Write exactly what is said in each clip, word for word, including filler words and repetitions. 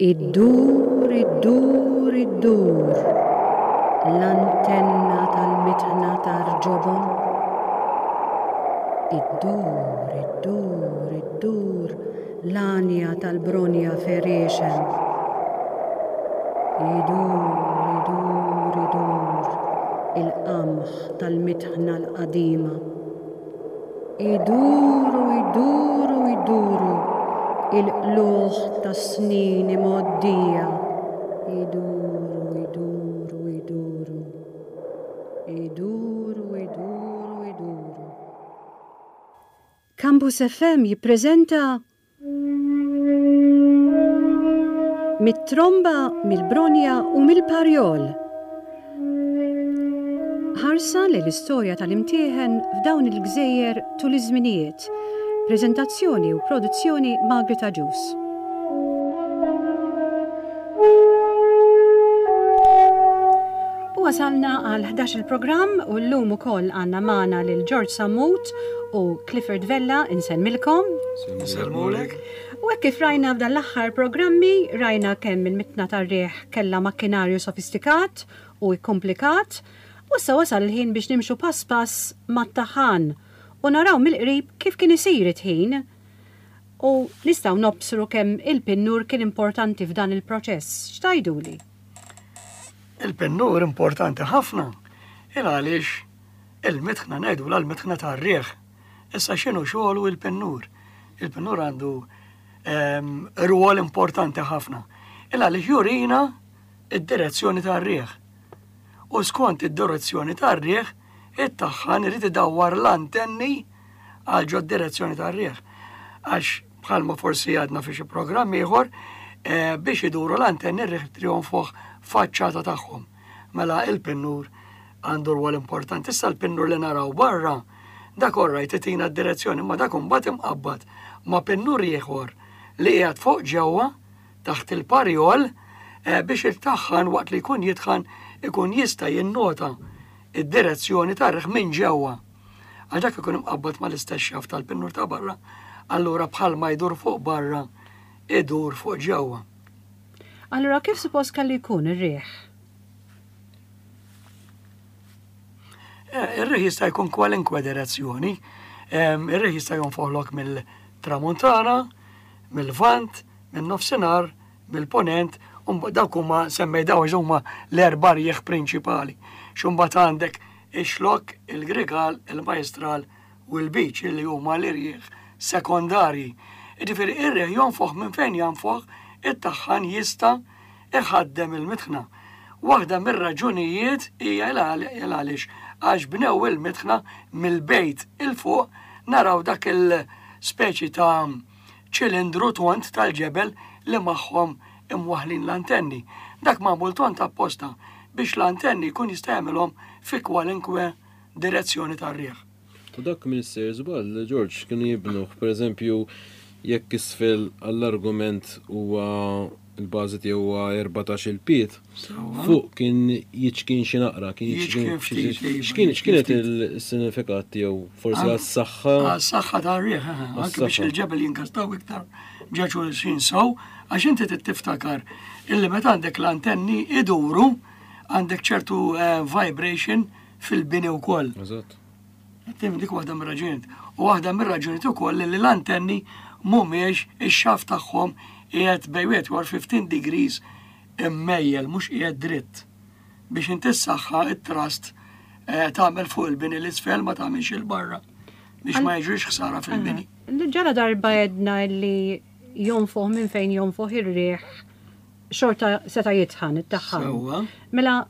Iddur, iddur, iddur, l-antenna tal-mitħna tar-ġobon. Iddur, iddur, iddur, l-għanja tal-bronja ferixem. Idur, idur, idur, il-qamħ tal-mitħna l-qadima. Iduru, iduru, iduru, il-qluħ tas-snin imgħoddija. Iduru, iduru, iduru. Iduru, iduru, iduru. Campus F M jippreżenta Mit-tromba, mill-bronja u mill-parjol. Ħarsa lejn l-istorja tal-imtieħen f'dawn il-gżejjer tul iż-żminijiet. Preżentazzjoni u produzzjoni Margaret Agius. U wasalna għal ħdax il-programm u llum ukoll għandna magħna lil George Sammut u Clifford Vella, insellmilkom. Insellmulek. U hekk kif rajna f'dan l-aħħar programmi, rajna kemm il-mitna tar-riħ kellha makkinarju sofistikat u kkomplikat, u issa wasal il-ħin biex nimxu pass pass mat-taħan u naraw mill-qrib kif kien isir it-tħin. U nistgħu nobsru kemm il-pinnur kien importanti f'dan il-proċess. X'tajduli? Il-pinnur importanti ħafna, il għaliex il-mitħna ngħidu l-mitħna tar-riħ. Issa x'inhu xogħlu il-pinnur? Il-pinnur għandu, ehm, rwol importanti ħafna. Il għaliex jurina id-direzzjoni tar-riħ. U skont id-direzzjoni tar-riħ, it-taħħan irid idawwar l-antenni għal ġod direzzjoni tar-riħ. Għax bħalma forsi għadna fi xi programm ieħor, eh, biex iduru l-antenni r-riħ trionfoħ faċċata tagħhom. Mela il-pinnur għandu rwol importanti. Issa l-pinnur li naraw barra, dak orrajt itina d-direzzjoni, ma dak imbagħad imqabbad ma' pinnur ieħor li qiegħed fuq ġewwa taħt il-parjol, eh, biex il-taħħan waqt li jkun jitħan ikun jista' jinnota id-direzzjoni tar-riħ minn ġewwa. Għal dak ikun imqabbad mal-istess xaft tal-pinnur ta' barra, allura bħalma jdur fuq barra, idur fuq ġewwa. Allura kif suppost kellu jkun ir-riħ? Eh, ir-riħ jista' jkun kwalinkwe direzzjoni. Ehm, ir-riħ jista' jonfoħlok mill-tramuntana, mill-vant, min-nofsinhar, mill-ponent, u mbagħad dawk huma semmej daw huma l-erba' rjieħ prinċipali. X'imbagħad għandek ix-xlokk, il-grigal, il-majstral u l-biċ li huma l-irjieħ sekondarji. Jiġifieri ir-riħ jonfoħ minn fejn jonfoħ, it-taħħan jista' iħaddem il-mitħna. Waħda mir-raġunijiet hija il-għaliex għax bnew il-mitħna mill-bejt il-fuq naraw dak il-speċi ta' ċilindru tont tal-ġebel li magħhom imwaħlin l-antenni. Dak magħmul tont apposta biex l-antenni jkun jista' jagħmilhom fi kwalinkwe direzzjoni tar-riħ. U dak Minister żball, George, kienu jibnuh, pereżempju, jekk isfel għall-argument huwa il-bażi tiegħu huwa erbatax il-piet, Sewwa. fuq kien jiċkien xi naqra, kien Jiċkien jiċkien xi ftit, ftit. iva, X'kien, jiċkien x'kienet ftit. il-sinifikat tiegħu? Forsi Għal- għas-saħħa? Għas-saħħa tar-riħ, eh, anke biex Għas-saħħa. il-ġebel jinkastaw iktar ġeċu xin sew, għax inti trid tiftakar illi meta għandek l-antenni iduru, għandek ċertu, eh, vibration fil-bini wkoll. Eżatt. Tim dik waħda mir-raġunijiet. U waħda mir-raġunijiet ukoll li l-antenni mhumiex ix-xaf tagħhom qiegħed bejn wieħed u fifteen degrees immejjel, mhux qiegħed dritt. Biex inti s-saħħa it-trust, eh, tagħmel fuq il-bini l-isfel ma tagħmilx il-barra biex ma jiġrix ħsara fil-bini. Aha. Ġara darba jedna li jonfoħ minn fejn jonfoħ ir-riħ xorta seta' jitħan it-taħħan. Sewwa. Mela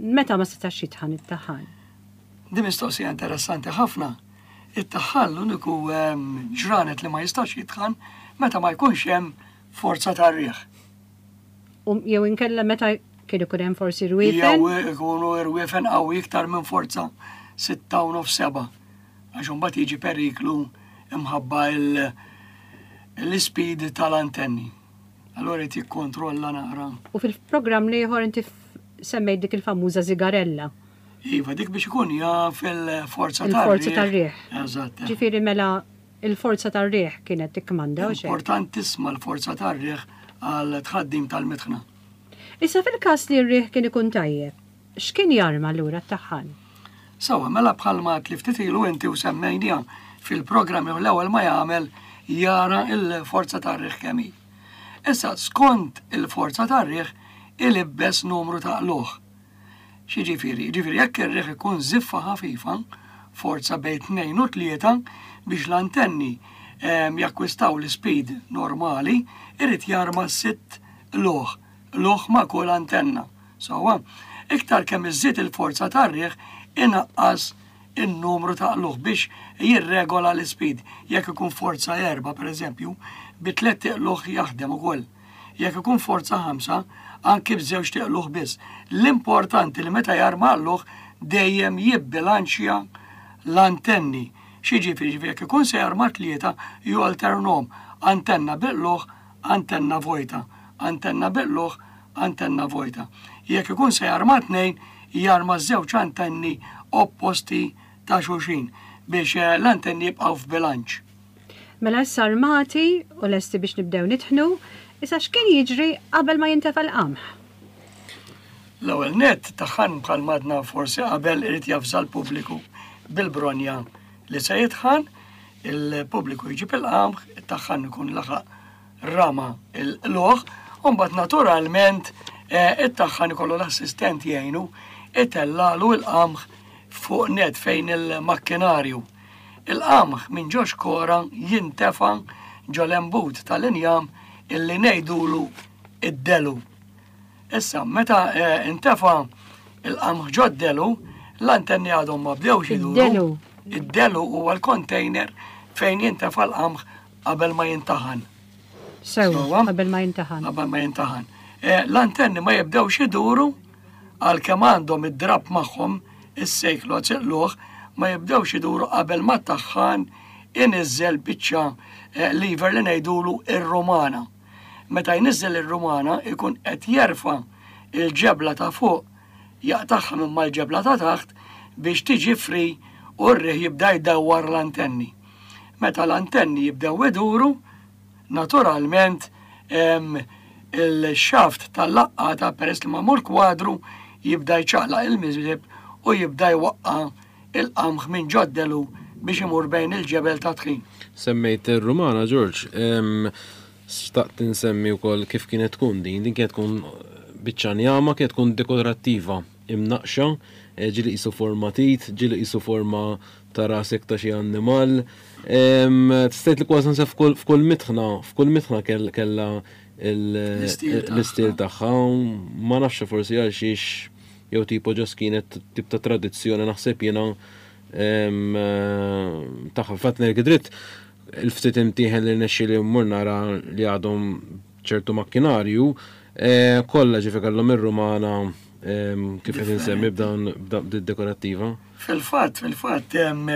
meta ma setax jitħan it-taħħan? Di mistoqsija interessanti ħafna. It-taħħan l-uniku, ehm, ġranet li ma jistax jitħan meta ma jkunx hemm forza tar-riħ. U jew inkella meta kien ikun hemm forsi rwiefen? Jew ikunu rwiefen qawwi iktar minn forza sitta u nofs seba'. Għax imbagħad jiġi periklu imħabba il-, l-ispeed tal-antenni. Allora jrid jikkontrolla naqra. U fil-programm l-ieħor inti f-, semmejt dik il-famuża zigarella. Iva, dik biex ikun jaf il-forza Il-forza tar-riħ. tar-riħ. Eżatt. Ġifieri mela il-forza tar-riħ kienet tikkmanda u xejn. Importantissima l-forza tar-riħ għal tħaddim tal-mitħna. Issa fil-każ li r-riħ kien ikun tajjeb, x'kien jarma lura t-taħħan? Sawa, mela bħalma ftit ilu inti u semmejnija fil-programm l-ewwel ma jagħmel jara il-forza tar-riħ kemm hi. Issa skont il-forza tar-riħ ilibbes numru ta' qluħ. X'jiġifieri? Jiġifieri jekk ir-riħ ikun żiffa ħafifa, forza bejn tnejn u tlieta biex l-antenni ehm, jakkwistaw l-speed normali, irid jarma sitt qlugħ, qlugħ ma' kull antenna. Sawa, iktar kemm iżżid il-forza tar-riħ inaqqas in-numru ta' qlugħ biex jirregola l-speed. Jekk ikun forza erba, per eżempju, bi tliet qlugħ jaħdem ukoll. Jekk ikun forza ħamsa, anki b'żewġ qlugħ biss. L-importanti li meta jarma qlugħ dejjem jibbilanċja l-antenni. X'jiġifieri, ġifieri jekk ikun se jarma tlieta jalternahom antenna bil-qlugħ, antenna vojta, antenna bil-qlugħ, antenna vojta. Jekk ikun se jarma tnejn, jarma żewġ antenni opposti ta' xulxin biex eh, l-antenni jibqgħu f'bilanċ. Mela issa armati u lesti biex nibdew nitħnu, issa x'kien jiġri qabel ma jintefa' l-qamħ? L-ewwel nett taħħan bħal madna forsi qabel irid javża l-pubbliku bil-bronja li se jitħan, il-pubbliku jġib il-qamħ, it-taħħan ikun laħaq rama il-qlugħ, u mbagħad naturalment eh, it-taħħan ikollu l-assistent jgħinu itellalu il-qamħ fuq net fejn il-makkinarju. Il-qamħ minn ġo xkora jintefa ġo l-embut tal-injam illi ngħidulu id-delu. Issa, meta eh, intefa il-qamħ ġo d-delu, l-antenni għadhom ma bdewx iduru. Id-delu. Id-delu huwa l-container fejn jintefa l-qamħ qabel ma jintaħan. Sew, Sewwa. qabel ma jintaħan. Qabel ma jintaħan. Eh, L-antenni ma jibdewx iduru għalkemm għandhom id-drap magħhom is-sejklu għatsiqluħ ma jibdewx iduru qabel ma taħħan iniżżel biċċa eh, lever li ngħidulu ir-Rumana. Meta jniżżel ir-Rumana ikun qed jerfa' il-ġebla ta' fuq jaqtagħha minn mal-ġebla ta' taħt biex tiġi free u r-riħ jibda jdawwar l-antenni. Meta l-antenni jibdew iduru, naturalment em, il-xaft tal-laqqata peress li magħmul kwadru jibda jċaqlaq il-miżrib u jibda jwaqqa il-qamħ minn ġod-delu biex imur bejn il-ġebel ta' tħin. Semmejt il-Rumana, George, em, xtaqt insemmi wkoll kif kienet tkun din, din kienet tkun biċċa njama, kienet tkun dekorattiva, imnaqxa, eh, ġieli qisu forma tit, ġieli qisu forma ta' rasek ta' xi annimal. Em, Tistgħid li kważi nsef f'kull f'kull mitħna, f'kull mitħna kell- kella il- L-istil tagħha. l-istil tagħha, ma nafx forsi għal xiex jew tipo ġas kienet tip ta' tradizzjoni naħseb jiena em, eh, tagħha. Fatt ngħid dritt il-ftit imtieħen li nexxi li mmur nara li għadhom ċertu makkinarju, eh, kollha ġifi kellhom ir-Rumana em, kif qed insemmi b'dawn b'dan dekorattiva. Fil-fatt, fil-fatt, em,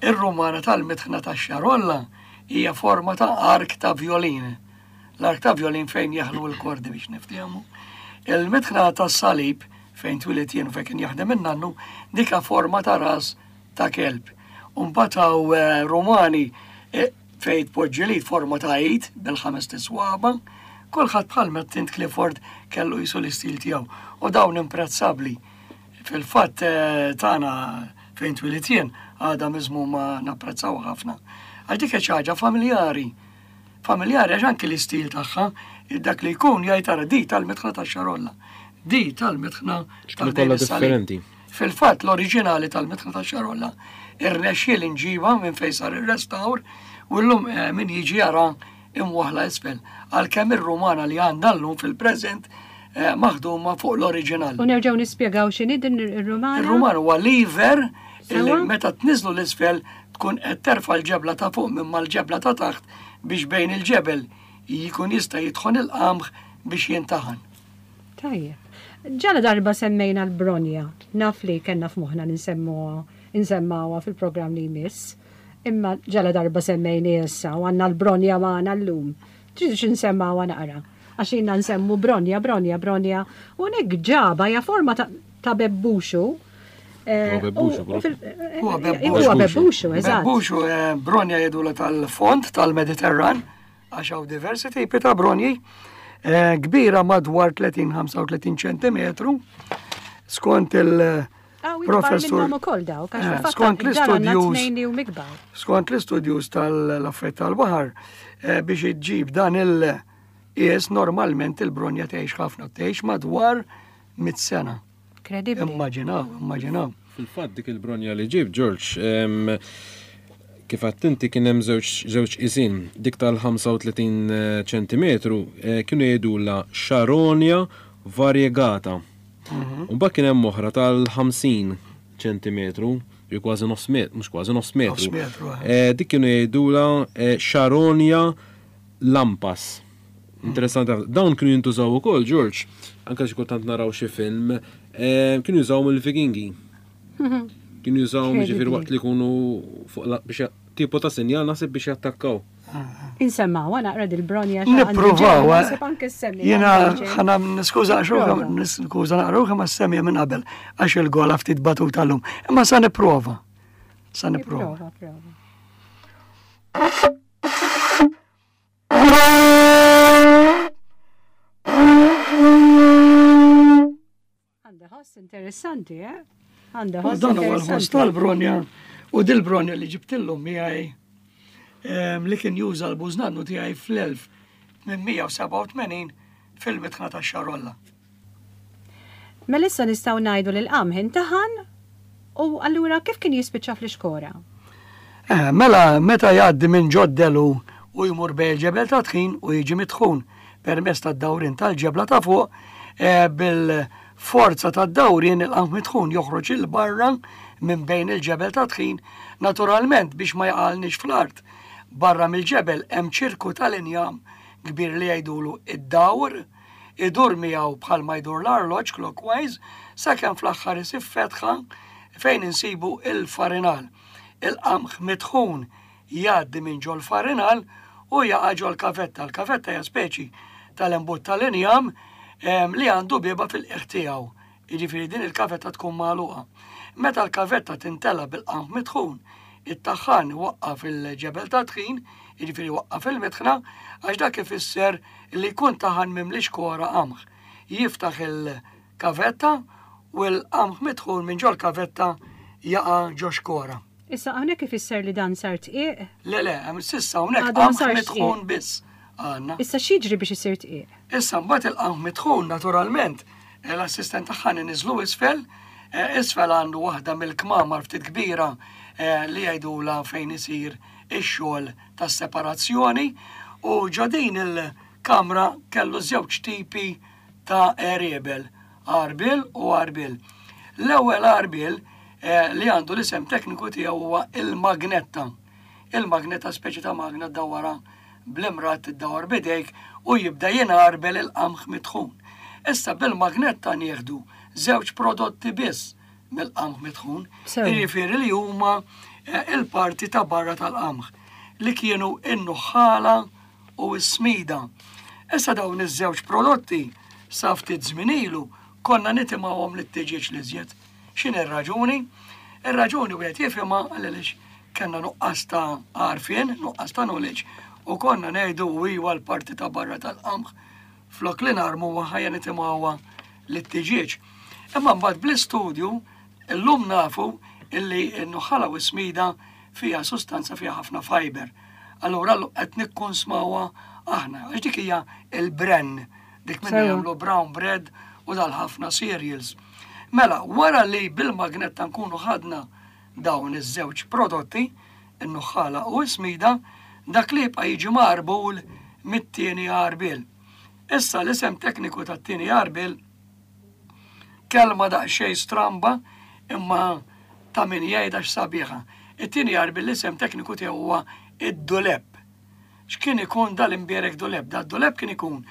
ir-Rumana tal-mitħna ta' xarolla hija forma ta' ark ta' violin. L-ark ta' violin fejn jaħlu l-kordi biex niftehmu. Il-mitħna ta' salib fejn twilit jien u fejn kien jaħdem in-nannu dika forma ta' ras ta' kelb. Umbagħad hawn eh, Rumani eh, fejn tpoġġi li forma ta' id bil-ħames tiswaba, kulħadd bħal Tint Clifford kellu jisu l-istil tiegħu. U dawn imprezzabbli. Fil-fatt eh, tagħna fejn twilit jien għadha miżmuma napprezzaw ħafna. Għax dik hija xi ħaġa familjari. Familjari għax anki l-istil tagħha, dak li jkun jgħid tara di tal-mitħna tax-xarolla. Di tal-mitħna X'kienu kollha differenti. Fil-fatt l-oriġinali tal-mitħna tax-xarolla irnexxiel inġiba minn fejn sar ir-restawr u llum eh, min jiġi jara imwaħla isfel. Għalkemm ir-Rumana li għandha llum fil-preżent eh, maħduma fuq l-oriġinal. U nerġgħu nispjegaw x'inhi din ir-Rumana? Ir-Ruman huwa lever illi Sewa. meta tniżlu l-isfel tkun qed terfa' l-ġebla ta' fuq minn mal-ġebla ta' taħt biex bejn il-ġebel jkun jista' jidħon il-qamħ biex jintaħan. Tajjeb. Ġala darba semmejna l-bronja. Naf li kellna f'moħħna ninsemmuha insemmawha fil-programm li jmiss. Imma ġala darba semmejni issa u għandna l-bronja magħna llum. Tridu x'insemmawha naqra. Għax ilna nsemmu bronja, bronja, bronja. U nek ġaba hija forma ta', ta' bebbuxu. Eh, Huwa bebbuxu, u- u fil- Huwa eh, bebbuxu. Huwa bebbuxu, eżatt. Bebbuxu eh, bronja jgħidula tal-fond tal-Mediterran għax hawn diversi tipi ta' bronji. Eh, kbira madwar tletin ħamsa u tletin ċentimetru, skont il- Professur eh, skont l-istudjus skont l-istudjus tal-affett tal-baħar eh, biex iġġib dan il-qies normalment il-bronja tgħix ħafna, tgħix madwar mitt sena. Kredibbli. Immaġinaw, immaġinaw. Fil-fatt dik il-bronja li ġib, George, em, kif għedt inti kien hemm żewġ isin, dik tal-ħamsa u tletin ċentimetru, eh, kienu jgħidulha Charonia variegata. Mhm. U mbagħad kien hemm oħra tal-ħamsin ċentimetru, jew kważi nofs metru, mhux kważi nofs metru. Nofs metru, eh. Eh, dik kienu jgħidulha, eh, Charonia lampas. Interessanti ħafna. Dawn kienu jintużaw ukoll, George, anke xi kultant naraw xi film, eh, kienu jużaw mill-Vikingi. Kienu jużaw Incredibly. ġifieri waqt li jkunu fuq la, biex tipo ta' sinjal naħseb biex jattakkaw. Insemmaw, naqra dil-bronja xi għandi Nippruvaw, ġewwa, eh. naħseb anke semmi, Jiena għandi ġej. ħana niskuża xruħa, Prova. niskuża naqruħa ma semmi minn qabel għax il-gola ftit batuta llum. Imma sa nipprova. Sa nipprova. Prova, prova. Għandha ħoss interessanti, eh? Għandha U ħoss dan huwa l-ħoss interessanti. tal-bronja u dil-bronja li ġibtillum miegħi, em, li kien juża l-bużnannu tiegħi fl-elf tmien mija u sebgħa u tmenin fil-mitħna tax-Xarolla. Mela issa nistgħu ngħidu li l-qamħ intaħan u allura kif kien jispiċċa fl-ixkora? Eh, mela meta jgħaddi minn ġoddelu u jmur bejn il-ġebel ta' tħin u jiġi mitħun permezz tad-dawrin tal-ġebla ta' fuq, eh, bil-forza tad-dawrin il-qamħ mitħun joħroġ il barra minn bejn il-ġebel ta' tħin, naturalment biex ma jaqalniex fl-art. Barra mill-ġebel hemm ċirku tal-injam kbir li jgħidulu id-dawr, idur miegħu bħalma jdur l-arloġġ clockwise sakemm fl-aħħar isib fetħa fejn insibu il-farinal. Il-qamħ mitħun jgħaddi minn ġol farinal u jaqa' ġol kavetta. L-kavetta hija speċi tal-imbut tal-injam, em, li għandu bieba fil-qiegħ tiegħu. Jiġifieri din il-kavetta tkun magħluqa. Meta l-kavetta tintela bil-qamħ mitħun, it-taħħan waqqaf il-ġebel ta' tħin, jiġifieri waqqaf il-mitħna, għax dak ifisser li jkun taħan mimli xkora qamħ. Jiftaħ il-kavetta u l-qamħ mitħun minn ġol kavetta jaqa' ġo xkora. Issa hawnhekk ifisser li dan sar tqiq? Le, le, hemm s'issa hawnhekk Għadu ma qamħ sarx mitħun tqiq. biss għandna. Issa x'jiġri biex isir tqiq? Issa mbagħad il-qamħ mitħun naturalment l-assistent tagħha niżlu isfel, eh, isfel għandu waħda mill-kmamar ftit kbira, eh, li jgħidula fejn isir ix-xogħol tas-separazzjoni u ġo din il-kamra kellu żewġ tipi ta' għeriebel, għarbil u għarbil. L-ewwel għarbil, eh, li għandu l-isem tekniku tiegħu huwa il-magnetta. Il-magnetta speċi ta' magna ddawwarha bl-imrat iddawwar bidejk u jibda jingħarbel il-qamħ mitħun. Issa bil-magnetta nieħdu żewġ prodotti biss mill-qamħ mitħun, Sew. jiġifieri li huma, eh, il-parti ta' barra tal-qamħ li kienu in-nuħħala u s-smida. Issa dawn iż-żewġ prodotti sa ftit żmien ilu konna nitimgħuhom lit-tiġieġ li żjed. X'inhi r-raġuni? Ir-raġuni wieħed jifhimha għaliex kellna nuqqas ta' għarfien, nuqqas ta' knowledge, u konna ngħidu iwa l-parti ta' barra tal-qamħ flok li narmu ħajja nitimgħuha lit-tiġieġ. Imma mbagħad bl-istudju illum nafu illi n-nuħħala u s-smida fiha sustanza fiha ħafna fiber. Allura l-, qed nikkonsmawha aħna, għax dik hija il-bran, dik minna Sewa. jagħmlu brown bread u dal-ħafna cereals. Mela, wara li bil-magnetta nkunu ħadna dawn iż-żewġ prodotti, in-nuħħala u s-smida, dak li jibqa' jiġi marbul mit-tieni għarbil. Issa l-isem tekniku tat-tieni għarbil kelma daqsxejn stramba imma ta' min jgħidha x'sabiħa. It-tieni għarbil l-isem tekniku tiegħu huwa id-duleb. X'kien ikun dal-imbierek duleb? Dad-duleb kien ikun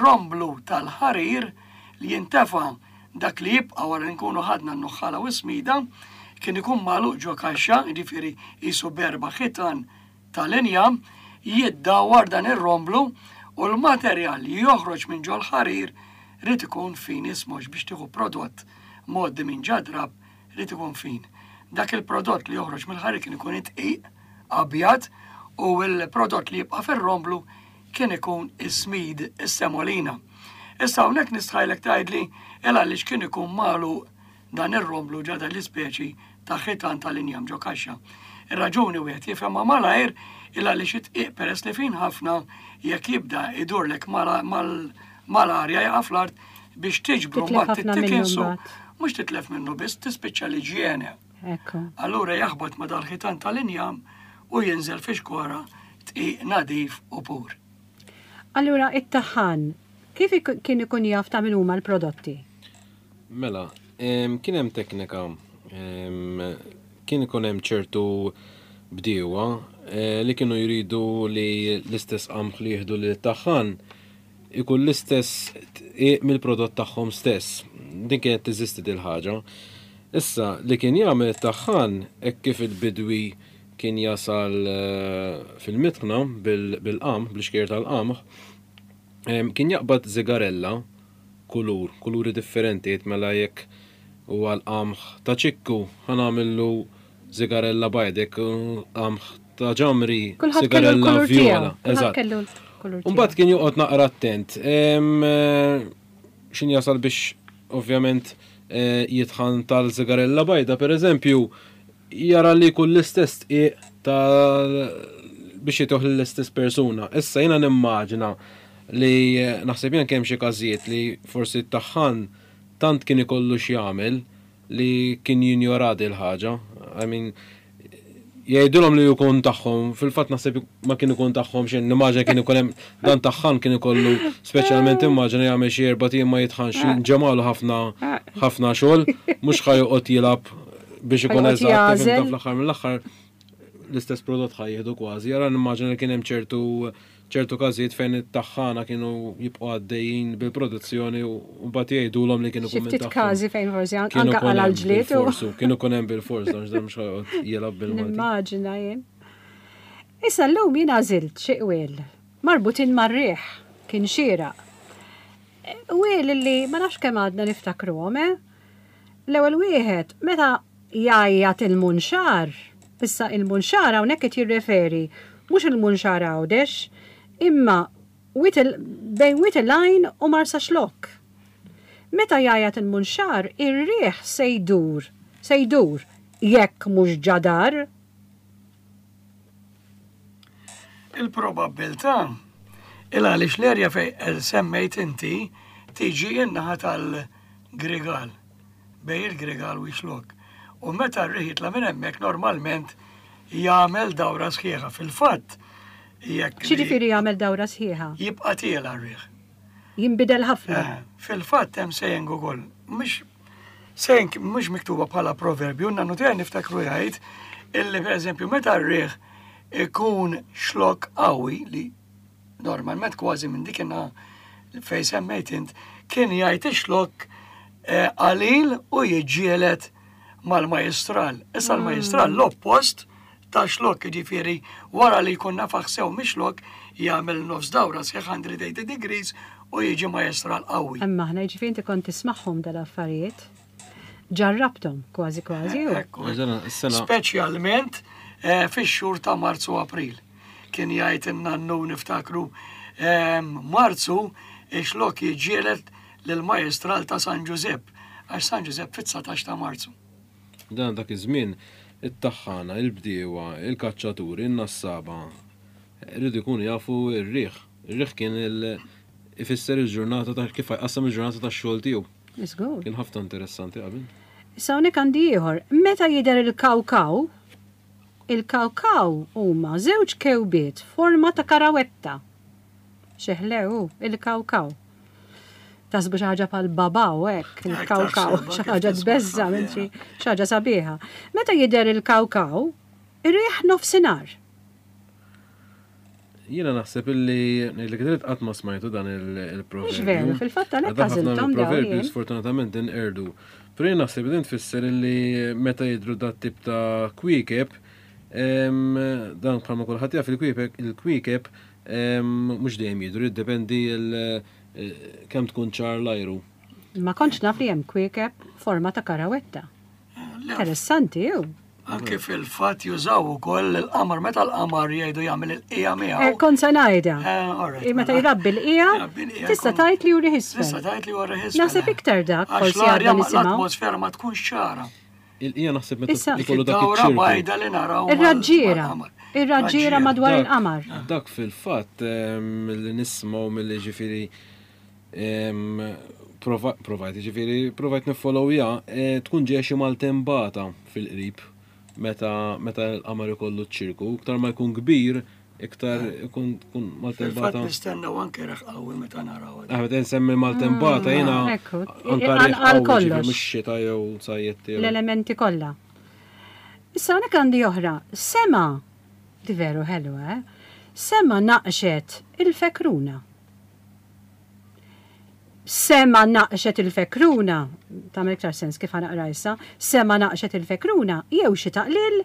romblu tal-ħarir li jintefa' dak li jibqa' wara li nkunu ħadna n-nuħħala u s-smida, kien ikun magħluq ġo kaxxa, jiġifieri qisu berba ħitan tal-injam, jiddawwar dan ir-romblu u l-materjal li joħroġ minn ġol-ħarir rrid ikun fin ismox biex tieħu prodott mgħoddi minn ġadrab rrid ikun fin. Dak il-prodott li joħroġ mill-ħarir kien ikun itqiq abjad u l-prodott li jibqa' fir-romblu kien ikun is-smid, is-semolina. Issa hawnhekk nistħajlek tgħidli il għaliex kien ikun magħluq dan ir-romblu ġo dan l-ispeċi ta' ħitan tal-injam ġo kaxxa. Ir-raġuni wieħed jifhemha malajr il għaliex it-dqiq peress li fin ħafna jekk jibda idurlek mal-arja jaqa' fl-art biex tiġbru Titlef mbagħad ħafna minnu tittikinsu. mbagħad. Mhux titlef minnu biss tispiċċa l-iġjene. Ekku. Allura jaħbat ma dal-ħitan tal-injam u jinżel fi xkora dqiq nadif u pur. Allura, it-taħan, kif ik- kien ikun jaf ta' min huma l-prodotti? Mela, em, kien hemm teknika, em, kien ikun hemm ċertu bdiewa eh, li kienu jridu li l-istess qamħ li jieħdu li taħħan ikun l-istess tqiq mill-prodott tagħhom stess. Din kienet teżisti dil ħaġa. Issa li kien jagħmel it-taħħan hekk kif il-bidwi kien jasal eh, fil-mitħna bil- bil-qamħ, bl-ixkier tal-qamħ, em, kien jaqbad zigarella kulur, kuluri differenti, jgħid mela jekk huwa l-qamħ ta' ċikku, ħa nagħmillu zigarella bajda, jekk hu qamħ ta' ġamri, Kulħadd kellu zigarella l-kulur viola. tiegħu. Kulħadd Eżatt. kellu l-kulur tiegħu. Mbagħad kien joqgħod naqra attent. Em, eh, Xin jasal biex ovvjament eh, jitħan tal-zigarella bajda, per eżempju, jara li kull l-istess tqiq tal biex jituħ l-istess persuna. Issa jiena nimmaġina li eh, naħseb jien kemm xi każijiet li forsi t-taħħan tant kien ikollu x'jagħmel li kien jinjora il ħaġa. I mean, jgħidulhom li jkun tagħhom, fil-fatt naħseb ma kien ikun tagħhom xejn, nimmaġina kien ikun hemm dan taħħan kien ikollu speċjalment immaġina jagħmel xi erba' ijiem ma jitħanx ġemalu ħafna ħafna xogħol, mhux ħa joqgħod jilgħab biex ikun Ħa joqgħod eżatt, jagħżel. fim, fl-aħħar mill-aħħar l-istess prodott ħa jieħdu kważi. Jara nimmaġina li kien hemm ċertu ċertu każijiet fejn it-taħħana kienu jibqgħu għaddejjin bil-produzzjoni u mbagħad jgħidulhom li kienu Xi kun minn ftit tagħhom. każi fejn forsi an- Kienu anka kun għal hemm ġlied u bil-forsu, kienu kun hemm bil-fors, dan x'dan mhux ħa joqgħod jilgħab bil-Malti. nimmaġina jien. Issa llum jien għażilt xi qwiel marbutin mar-riħ kien xieraq. Qwiel li ma nafx kemm għadna niftakruhom, eh? L-ewwel wieħed meta jgħajjat il-munxar, issa il-munxar hawnhekk qed jirreferi mhux il-munxar Għawdex, imma Wied il- bejn Wied il-Għajn u Marsaxlokk. Meta jgħajjat il-munxar, ir-riħ se jdur, se jdur, jekk mhux ġadar, Il-probabbiltà il għaliex l-erja fej semmejt inti tiġi in-naħa tal-Grigal, bejn il-Grigal u Xlokk. U meta r-riħ jitla' minn hemmhekk normalment jagħmel dawra sħiħa. Fil-fatt, jekk li X'jiġifieri jagħmel dawra sħiħa? jibqa' tiela r-riħ. Jinbidel ħafna. Eh, Fil-fatt hemm saying ukoll, mhux saying mhux miktuba bħala proverbju, nannu tiegħi niftakru jgħid illi pereżempju meta r-riħ ikun xlokk qawwi li normalment kważi minn dik in fej semmejt int, kien jgħid ix-xlokk eh, qalil u jiġġieled mal-majestral. Issa l-majestral l-oppost ta' xlokk, ġifieri wara li jkun nafaħ sew mix-xlokk jagħmel nofs dawra tmien mija u tmenin degrees u jiġi majestral qawwi. Imma aħna jiġifieri inti kont tismagħhom dal-affarijiet. Ġarrabthom kważi kważi. u- Ekku. Eżena, is-sena Speċjalment eh, fix-xhur ta' Marzu u April. Kien jgħid in-nannu niftakru ehm, Marzu ix-xlokk jiġġieled lill-majestral ta' San Ġużepp għax San Ġużepp fit-dsatax ta' Marzu. Dan dak iż-żmien it-taħħana, il-bdiewa, il-kaċċaturi, in-nassaba rridu jkunu jafu r-riħ. Ir-riħ kien il- ifisser il-ġurnata ta' kif jqassam il-ġurnata tax-xogħol tiegħu. Żgur. Kien ħafna interessanti qabel. Issa hawnhekk għandi ieħor. Meta jidher il-kawkaw, il-kawkaw huma żewġ kewbiet forma ta' karawetta. Xeħlew, il-kawkaw. Taħsbu xi ħaġa bħal babaw hekk, il-kawkaw, taħseb, xi kif ħaġa tisma' tbeżża minn ħafna. xi xi ħaġa sabiħa. Meta jidher il-kawkaw, ir-riħ nofsinhar. Jiena naħseb illi li kien qatt ma smajtu dan il- il-proverbju. Mhux veru, fil-fatt għalhekk Għadha ħafna għażilthom dawn mill-proverbju jien. sfortunatament inqerdu. Però jien naħseb li din tfisser illi meta jidru dat tip ta' kwiekeb, em, dan bħalma kulħadd jaf il-kwiekeb, il-kwiekeb em, mhux dejjem jidru, jiddependi il- eh, kemm tkun ċar l-ajru. Ma kontx naf li hemm kwiekeb forma ta' karawetta. Le, Interessanti, ju. Anke fil-fatt jużaw ukoll il-qamar meta l-qamar jgħidu jagħmel il-qija miegħu. Eh, kont se ngħidha. Eh, alright, Eh, Meta mela. jrabbi l-qija, Jrabbi l-qija tista' jkun- tgħid li juri Tista' isfel. tgħid li huwa riħ isfel. Naħseb iktar dak, Għax forsi l-arja għadna ma- nisimgħu. l-atmosfera ma tkunx ċara. Il-qija naħseb meta Issa- ikollu dak Id-dawra iċ-ċirku. bajda li naraw. mal- Ir-raġġiera. mal-qamar. Ir-raġġiera madwar Dak- il-qamar. Dak fil-fatt em, li nismaw mill ġifiri em, prova- provajt ġifiri provajt nifollowja eh, tkun ġeja xi maltembata fil-qrib meta meta l-qamar ikollu ċ-ċirku, iktar ma jkun kbir, iktar ikun tkun Fil-fatt maltembata. nistennew anke reħ qawwi meta naraw. Ah, meta nsemmi maltembata jiena Mm, ekku. anka Għal- riħ għal qawwi ġifieri kollox. mhux xita jew sajjetti. jew- L-elementi kollha. Issa hawnhekk għandi oħra. Sema, di veru ħelwa, eh? Sema naqxet il-fekruna. Sema naqxet il-fekruna, tagħmel iktar sens kif ħanaqra issa, sema naqxet il-fekruna, jew xi taqlil,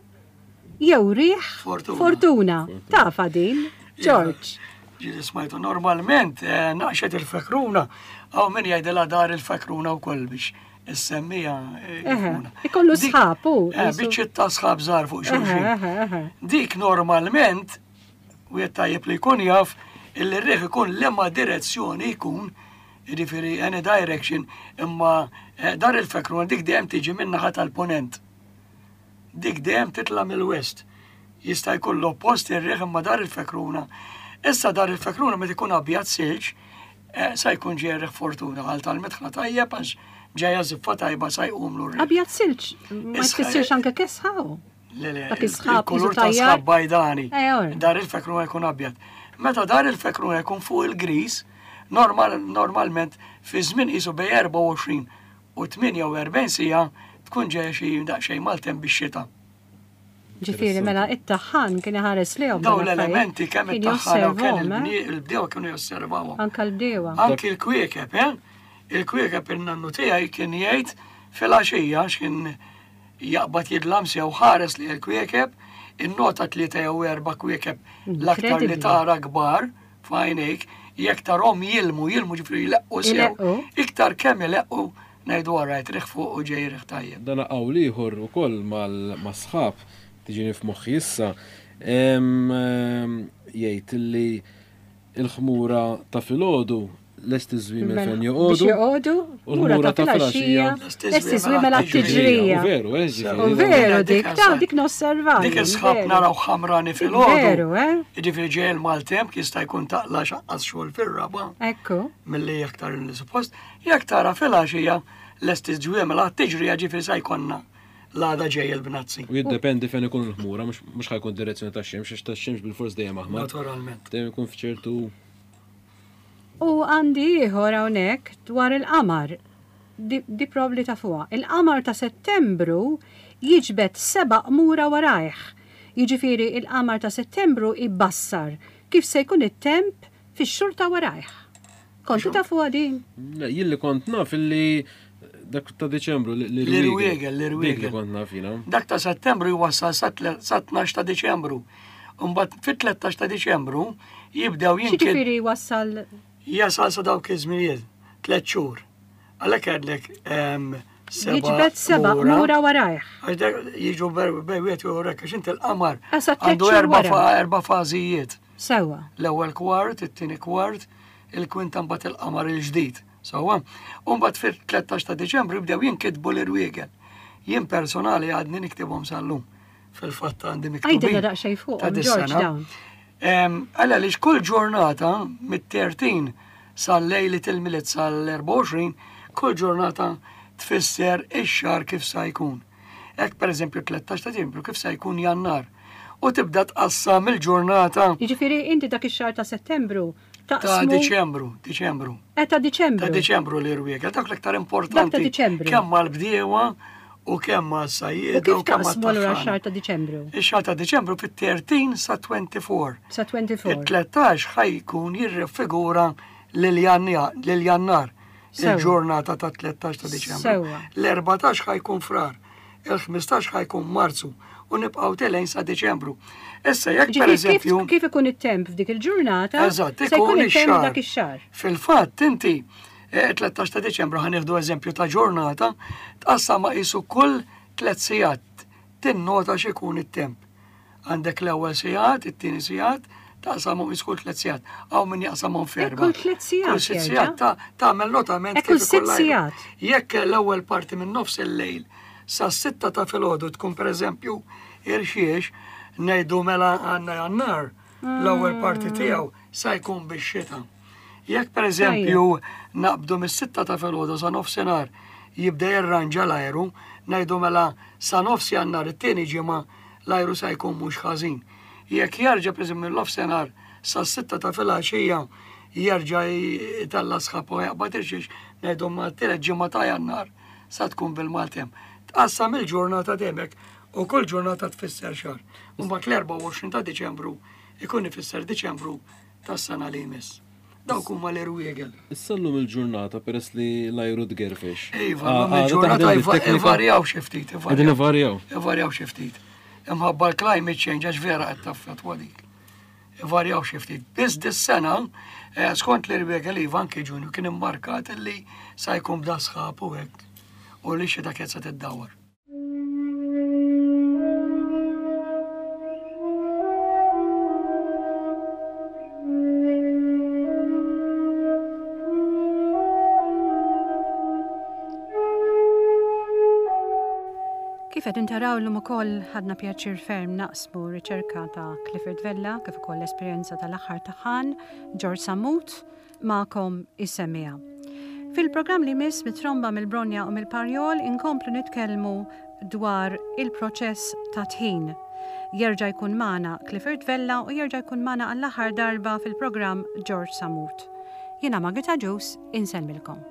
jew riħ Fortuna. fortuna. Tafa din, George. Ġili smajtu normalment eh, naqxet il-fekruna, għaw min jgħidilha dar il-fekruna u koll biex issemmija. eh, Eħe, jifhmuna. ikollu Dik- sħab, u, Eh, jisu- Biċċiet ta' sħab żgħar fuq Eħe, xulxin. eħe, eħe. Dik normalment, u tajjeb li jkun jaf, illi r-riħ ikun liema direzzjoni jkun, jiġifieri any direction, imma eh, dar il-fekruna dik dejjem tiġi min-naħa tal-ponent. Dik dejjem titla' mill-west. Jista' jkun l-oppost ir-riħ imma dar il-fekruna. Issa dar il-fekruna meta jkun abjad silġ, eh, sa jkun ġej riħ fortuna għal tal-mitħna tajjeb għax ġejja ziffa tajba sa jqumlu r-riħ. Abjad silġ, ma Isħa- jfissirx anke kesħa. u. Le, le, Dak is-sħab il-kulur jisu ta' tajjar. sħab bajdani. Eh, ora. Dar il-fekruna jkun abjad. Meta dar il-fekruna jkun fuq il-gris, normal, normalment fi żmien qisu bej erbgħa u għoxrin u tmienja u erbgħin sija tkun ġejja xi daqsxejn maltem bix-xita. Ġifieri mela it-taħħan kien iħares lejhom. Daw dawn l-affarijiet. l-elementi kemm Kien it-taħħana u kemm josservhom, eh? il-bnie- il-bdiewa kienu josservawhom. Anka l-bdewa. Anki l-kwiekeb, eh? Il-kwiekeb il-nannu tiegħi kien jgħid fil-għaxija x'kien jaqbad jidlam sew ħares li l-kwiekeb, innota tlieta jew erba' kwiekeb l-aktar li Incredibly. tara kbar f'għajnejk, jekk tarhom jilmu, jilmu ġifieri jleqqu sew. Ileqqu. Iktar kemm ileqqu ngħidu għarajt riħ fuq u ġej riħ tajjeb. Dan qawl ieħor ukoll mal-sħab tiġini f'moħħi issa em, em, jgħid li il-ħmura ta' filgħodu lest iż-żwiemel Mela, fejn Biex joqogħdu. joqogħdu, u mura l-ħmura ta' ta' filgħaxija, filgħaxija, lest iż-żwiemel għat-tiġrija. U veru, eh, U ġifieri. veru Dik dik, ta' għasa. dik nosserva. Dik is-sħab naraw ħamrani filgħodu. Veru, eh? Jiġifieri ġej il-maltemp jista' jkun taqla xaqqas xogħol fir-raba. Ekku. Mill-li aktar li suppost, jekk tara fil-għaxija lest iż-ġwiemel għat tiġrija ġifieri sa jkollna l-għada ġej il-bnazzi. U jiddependi fejn ikun il-ħmura, mhux mhux ħajkun direzzjoni tax-xemx, għax tax-xemx bil-fors dejjem aħmar. Naturalment. Dejjem ikun f'ċertu U għandi ieħor hawnhekk dwar il-qamar. Di, di probli ta' fuqha. Il-qamar ta' Settembru jiġbed seba' qmura warajh. Jiġifieri il-qamar ta' Settembru ibbassar kif se jkun it-temp fix-xhur ta' warajh. Kontu ta' fuqha din? Le, jien li kont naf illi dak ta' Deċembru li L-irwiegel, l-irwiegel. Dik li kont naf jiena. Dak ta' Settembru jwassal sa tle- sa tnax ta' Deċembru. Mbagħad fit-tlettax ta' Deċembru jibdew jinkid X'jiġifieri wassal jasal sa dawk iż-żminijiet, tliet xhur. Għalhekk għedlek ehm, seba' jiġbed seba' qmura warajh. Għax dak jiġu bej wieħed jew hekk għax inti l-qamar Ah, sa tliet għandu xhur erba' wara. fa- erba' fażijiet. Sewwa. L-ewwel kwart, it-tieni kwart, il-kwinta mbagħad il-qamar il-ġdid. Sewwa. U mbagħad fil-tlettax ta' Diċembru jibdew jinkitbu l-irwiegel. Jien personali għadni niktibhom sal-lum. Fil-fatt għandi miktubin. Għidilna daqsxejn fuqhom, ta' George, dis-sena. dawn. Em, Għalla li kull ġurnata mit-tlettax sal-lejli til-Milied sal-erbgħa u għoxrin, kull ġurnata tfisser ix-xahar kif sa jkun. Hekk pereżempju tlettax ta' Diċembru kif sa jkun Jannar. U tibda tqassam il-ġurnata Jiġifieri inti dak ix-xahar ta' Settembru ta' taqsmu Diċembru, Diċembru. Eh, ta' Diċembru. Ta' Diċembru li rwiegel, dak l-iktar importanti. Dak ta' Diċembru. Kemm għall-bdiewa u kemm U għas-sajjieda kif u kemm taqsmu allura għat-taħħana. x-xahar ta' Diċembru? Ix-xahar ta' Diċembru fit-tlettax sa erbgħa u għoxrin. Sa erbgħa u għoxrin. Il-tlettax ħajkun jirrifigura lil Jannar, Sewa. il-ġurnata ta' tlettax ta' Diċembru. Sewa. L-erbatax ħajkun Frar, il-ħmistax ħajkun Marzu u nibqgħu telgħin sa Diċembru. Issa jekk Ġifieri kif, pereżempju kif ikun it-temp f'dik il-ġurnata, Eżatt, se jkun ikun it-temp ix-xahar. dak ix-xahar. Fil-fatt inti eh, tlettax ta' Diċembru ħa nieħdu eżempju ta' ġurnata, tqassam ma' qisu kull tliet sigħat, Tinnota x'ikun it-temp. Għandek l-ewwel sigħat, it-tieni sigħat, taqsamhom kull tliet sigħat. Hawn min jaqsamhom f'erba'. Kull tliet sigħat. Kull sitt sigħat tagħmel notament kif kull sitt sigħat. Jekk l-ewwel parti minn nofs il-lejl sa sitta ta' filgħodu tkun pereżempju irxiex, ngħidu mela għandna Jannar, l-ewwel parti tiegħu sa jkun bix-xita. Jekk pereżempju naqbdu mis-sitta ta' filgħodu sa nofsinhar jibda jirranġa l-ajru, ngħidu mela sa nofs Jannar it-tieni ġimgħa l-ajru sa jkun mhux ħażin. Jekk jerġa' pereżempju mill-nofsinhar sa sitta ta' filgħaxija jerġa' jtella' sħab u jaqbad irxiex, ngħidu ma t-tielet ġimgħa ta' Jannar sa tkun bil-maltemp. Tqassam il-ġurnata demek u kull ġurnata tfisser xahar. U mbagħad l-erbgħa u għoxrin ta' Diċembru ikun ifisser Diċembru tas-sena li jmiss. Dawk huma l-irwiegel. Issa llum il-ġurnata peress li l-ajru tgerfex. Iva, llum il-ġurnata ivarjaw xi ftit. Qegħdin ivarjaw. Ivarjaw xi ftit. Imħabba l-climate change għax vera qed taffettwa dik. Ivarjaw xi ftit. Biss dis-sena, skont l-irwiegel iva anke Ġunju kien immarkat li sa jkun bda sħab u hekk u li xita kienet se tiddawwar. Kif qed intaraw llum ukoll ħadna pjaċir ferm naqsmu riċerka ta' Clifford Vella kif ukoll l-esperjenza tal-aħħar taħan George Sammut magħkom is-semmiegħa. Fil-programm li miss mit-tromba mill-Bronja u mill-Parjol inkomplu nitkellmu dwar il-proċess ta' tħin. Jerġa' jkun magħna Clifford Vella u jerġa' jkun magħna għall-aħħar darba fil-programm George Sammut. Jiena Margherita Ġus, insellmilkom.